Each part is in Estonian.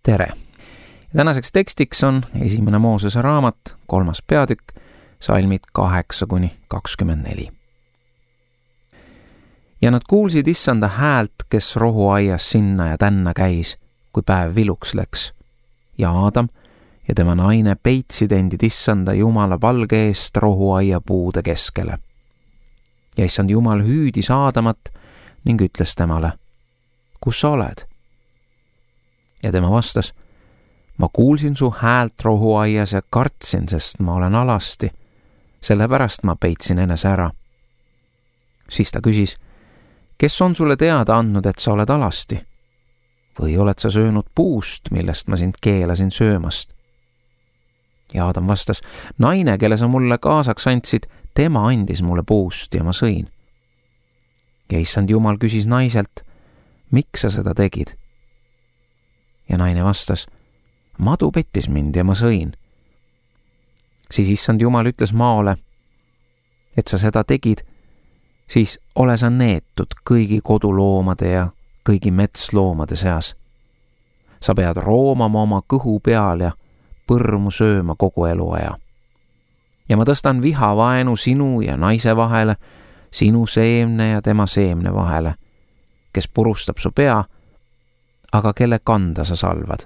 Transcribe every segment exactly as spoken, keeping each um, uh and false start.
tere! Tänaseks tekstiks on esimene Moosese raamat, kolmas peatükk, salmid kaheksa kuni kakskümmend neli. Ja nad kuulsid issanda häält, kes rohuaias sinna ja tänna käis, kui päev viluks läks. Ja Aadam ja tema naine peitsid endid issanda Jumala palge eest rohuaia puude keskele. Ja issand Jumal hüüdis Aadamat ning ütles temale, kus sa oled? Ja tema vastas, ma kuulsin su häält rohuaias ja kartsin, sest ma olen alasti, sellepärast ma peitsin enese ära. Siis ta küsis, kes on sulle teada andnud, et sa oled alasti? Või oled sa söönud puust, millest ma sind keelasin söömast? Ja Aadam vastas, naine, kelle sa mulle kaasaks andsid, tema andis mulle puust ja ma sõin. Ja issand Jumal küsis naiselt, miks sa seda tegid? Ja naine vastas, madu pettis mind ja ma sõin. Siis issand Jumal ütles maole, et sa seda tegid, siis ole sa neetud kõigi koduloomade ja kõigi metsloomade seas. Sa pead roomama oma kõhu peal ja põrmu sööma kogu eluaja. Ja ma tõstan vihavaenu sinu ja naise vahele, sinu seemne ja tema seemne vahele, kes purustab su pea, aga kelle kanda sa salvad.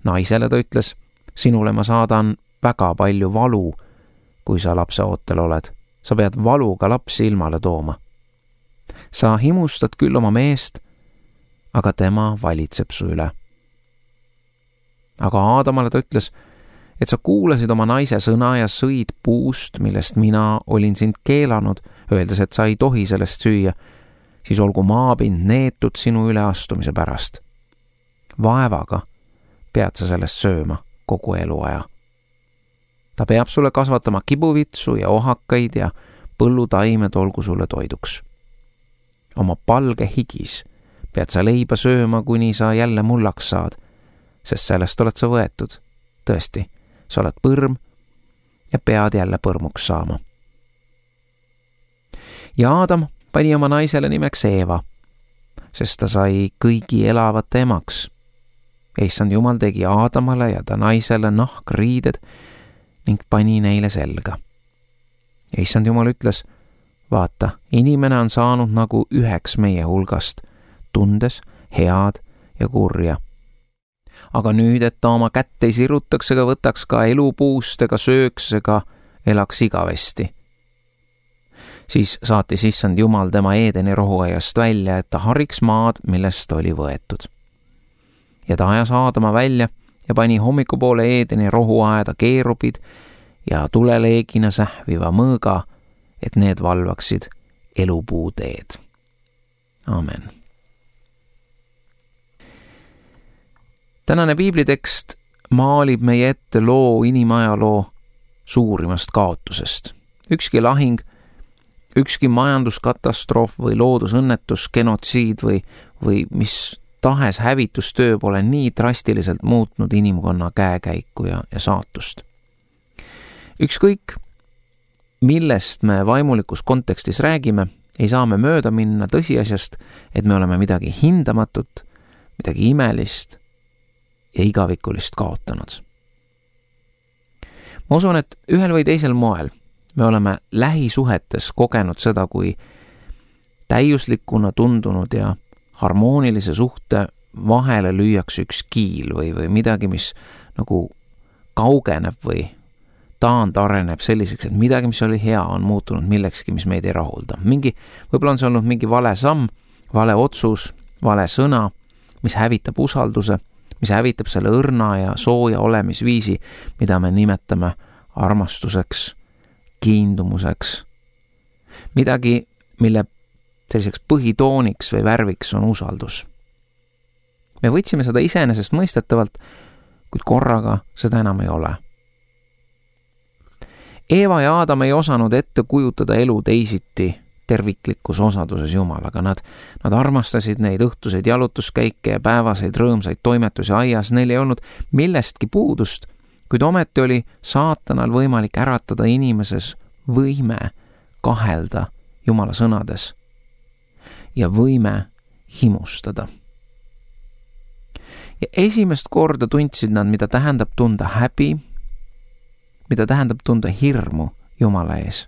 Naisele ta ütles, sinule ma saadan väga palju valu, kui sa lapse ootel oled. Sa pead valuga lapsi ilmale tooma. Sa himustad küll oma meest, aga tema valitseb su üle. Aga Aadamale ta ütles, et sa kuulasid oma naise sõna ja sõid puust, millest mina olin sind keelanud, öeldes, et sa ei tohi sellest süüa, siis olgu maapind neetud sinu üleastumise pärast. Vaevaga pead sa sellest sööma kogu eluaja. Ta peab sulle kasvatama kibuvitsu ja ohakaid ja põllutaimed olgu sulle toiduks. Oma palge higis pead sa leiba sööma, kuni sa jälle mullaks saad, sest sellest oled sa võetud. Tõesti, sa oled põrm ja pead jälle põrmuks saama. Ja Aadam pani oma naisele nimeks Eeva, sest ta sai kõigi elavate emaks. Issand Jumal tegi Aadamale ja ta naisele nahkriided ning pani neile selga. Issand Jumal ütles, vaata, inimene on saanud nagu üheks meie hulgast, tundes head ja kurja. Aga nüüd, et ta oma kätt ei sirutaks ega võtaks ka elupuust ega sööks ega elaks igavesti. Siis saatis issand Jumal tema Eedeni rohuaiast välja, et ta hariks maad, millest oli võetud. Ja ta ajas Aadama välja ja pani hommikupoole Eedeni rohuaeda keerubid ja tuleleegina sähviva mõõga, et need valvaksid elupuu teed. Amen. Tänane piiblitekst maalib meie ette loo inimajaloo suurimast kaotusest. Ükski lahing, ükski majanduskatastroof või loodusõnnetus, genotsiid või, või mis tahes hävitustöö pole nii drastiliselt muutnud inimkonna käekäiku ja, ja saatust. Ükskõik, millest me vaimulikus kontekstis räägime, ei saa me mööda minna tõsiasjast, et me oleme midagi hindamatut, midagi imelist ja igavikulist kaotanud. Ma usun, et ühel või teisel moel me oleme lähisuhetes kogenud seda, kui täiuslikuna tundunud ja harmoonilise suhte vahele lüüakse üks kiil või, või midagi, mis nagu kaugeneb või taandareneb selliseks, et midagi, mis oli hea, on muutunud millekski, mis meid ei rahulda. Mingi, võib-olla on see olnud mingi vale samm, vale otsus, vale sõna, mis hävitab usalduse, mis hävitab selle õrna ja sooja olemisviisi, mida me nimetame armastuseks, kiindumuseks. Midagi, mille selliseks põhitooniks või värviks on usaldus. Me võtsime seda iseenesest mõistetavalt, kuid korraga seda enam ei ole. Eeva ja Aadam ei osanud ette kujutada elu teisiti terviklikus osaduses Jumalaga. Nad, nad armastasid neid õhtuseid jalutuskäike ja päevaseid rõõmsaid toimetusi aias. Neil ei olnud millestki puudust, kuid ometi oli saatanal võimalik äratada inimeses võime kahelda Jumala sõnades ja võime himustada. ja esimest korda tundsid nad, mida tähendab tunda häbi, mida tähendab tunda hirmu Jumala ees.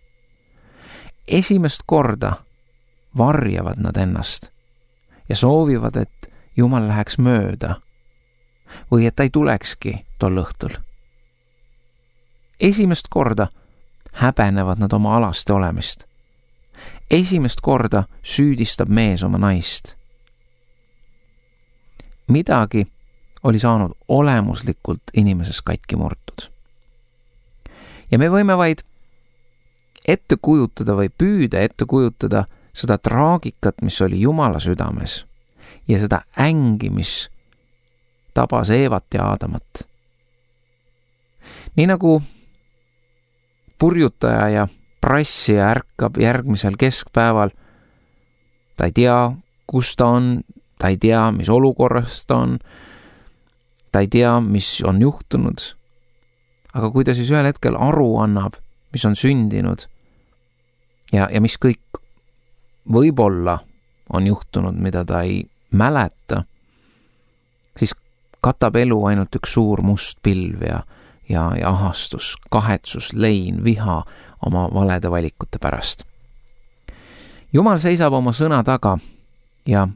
Esimest korda varjavad nad ennast ja soovivad, et Jumal läheks mööda või et ta ei tulekski tol õhtul. Esimest korda häbenevad nad oma alaste olemist. Esimest korda süüdistab mees oma naist. Midagi oli saanud olemuslikult inimeses katki murtud. Ja me võime vaid ette kujutada või püüda ette kujutada seda traagikat, mis oli Jumala südames ja seda ängi, mis tabas Eevat ja Aadamat. Nii nagu purjutaja ja prassija ärkab järgmisel keskpäeval, ta ei tea, kus ta on, ta ei tea, mis olukorras ta on, ta ei tea, mis on juhtunud, aga kui ta siis ühel hetkel aru annab, mis on sündinud ja, ja mis kõik võib-olla on juhtunud, mida ta ei mäleta, siis katab elu ainult üks suur must pilv ja, ja, ja ahastus, kahetsus, lein, viha oma valede valikute pärast. Jumal seisab oma sõna taga ja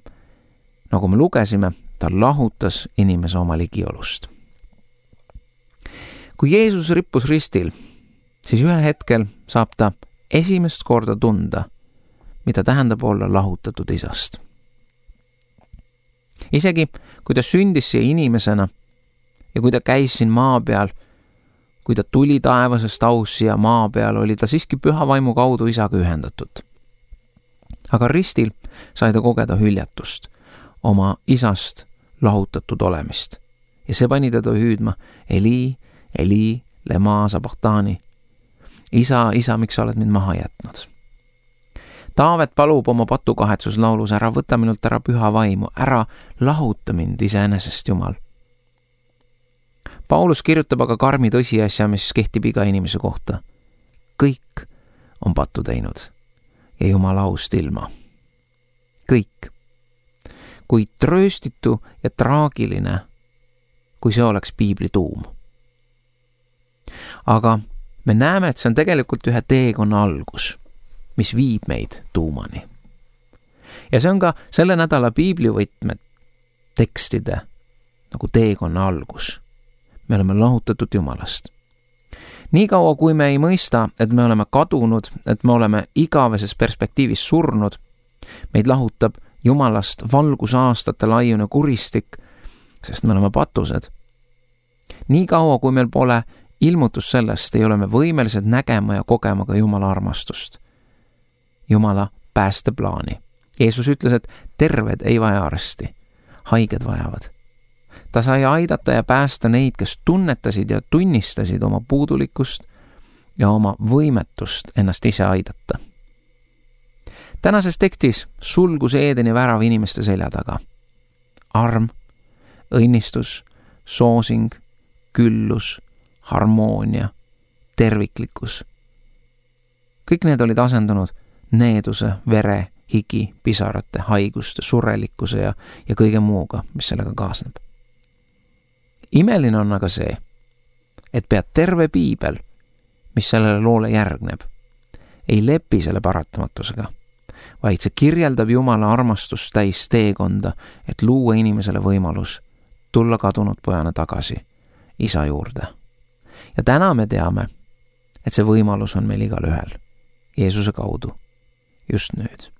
nagu me lugesime, ta lahutas inimese oma ligiolust. Kui Jeesus rippus ristil, siis ühel hetkel saab ta esimest korda tunda, mida tähendab olla lahutatud isast. Isegi kui ta sündis siia inimesena ja kui ta käis siin maa peal, kui ta tuli taevasest aust siia maa peal, oli ta siiski püha vaimu kaudu isaga ühendatud. Aga ristil sai ta kogeda hüljatust, oma isast lahutatud olemist. Ja see pani teda hüüdma Eli, Eli, lema sabachthani. Isa, isa, miks sa oled mind maha jätnud? Taavet palub oma patukahetsuslaulus, ära võta minult ära püha vaimu, ära lahuta mind iseenesest, Jumal. Paulus kirjutab aga karmi tõsiasja, mis kehtib iga inimese kohta. Kõik on pattu teinud ja Jumala aust ilma. Kõik. Kui trööstitu ja traagiline, kui see oleks piibli tuum. Aga me näeme, et see on tegelikult ühe teekonna algus, mis viib meid tuumani. Ja see on ka selle nädala piiblivõtme tekstide nagu teekonna algus. Me oleme lahutatud Jumalast. Nii kaua, kui me ei mõista, et me oleme kadunud, et me oleme igaveses perspektiivis surnud, meid lahutab Jumalast valgusaastate laiune kuristik, sest me oleme patused. Nii kaua, kui meil pole ilmutus sellest, ei ole me võimelised nägema ja kogema ka Jumala armastust. Jumala päästeplaani. Jeesus ütles, et terved ei vaja arsti, haiged vajavad. Ta sai aidata ja päästa neid, kes tunnetasid ja tunnistasid oma puudulikkust ja oma võimetust ennast ise aidata. Tänases tekstis sulgus Eedeni värav inimeste selja taga. Arm, õnnistus, soosing, küllus, harmoonia, terviklikkus. Kõik need olid asendunud needuse, vere, higi, pisarate, haiguste, surelikkuse ja, ja kõige muuga, mis sellega kaasneb. Imeline on aga see, et pea terve piibel, mis sellele loole järgneb, ei lepi selle paratamatusega, vaid see kirjeldab Jumala armastust täis teekonda, et luua inimesele võimalus tulla kadunud pojana tagasi isa juurde. Ja täna me teame, et see võimalus on meil igal ühel, Jeesuse kaudu, just nüüd.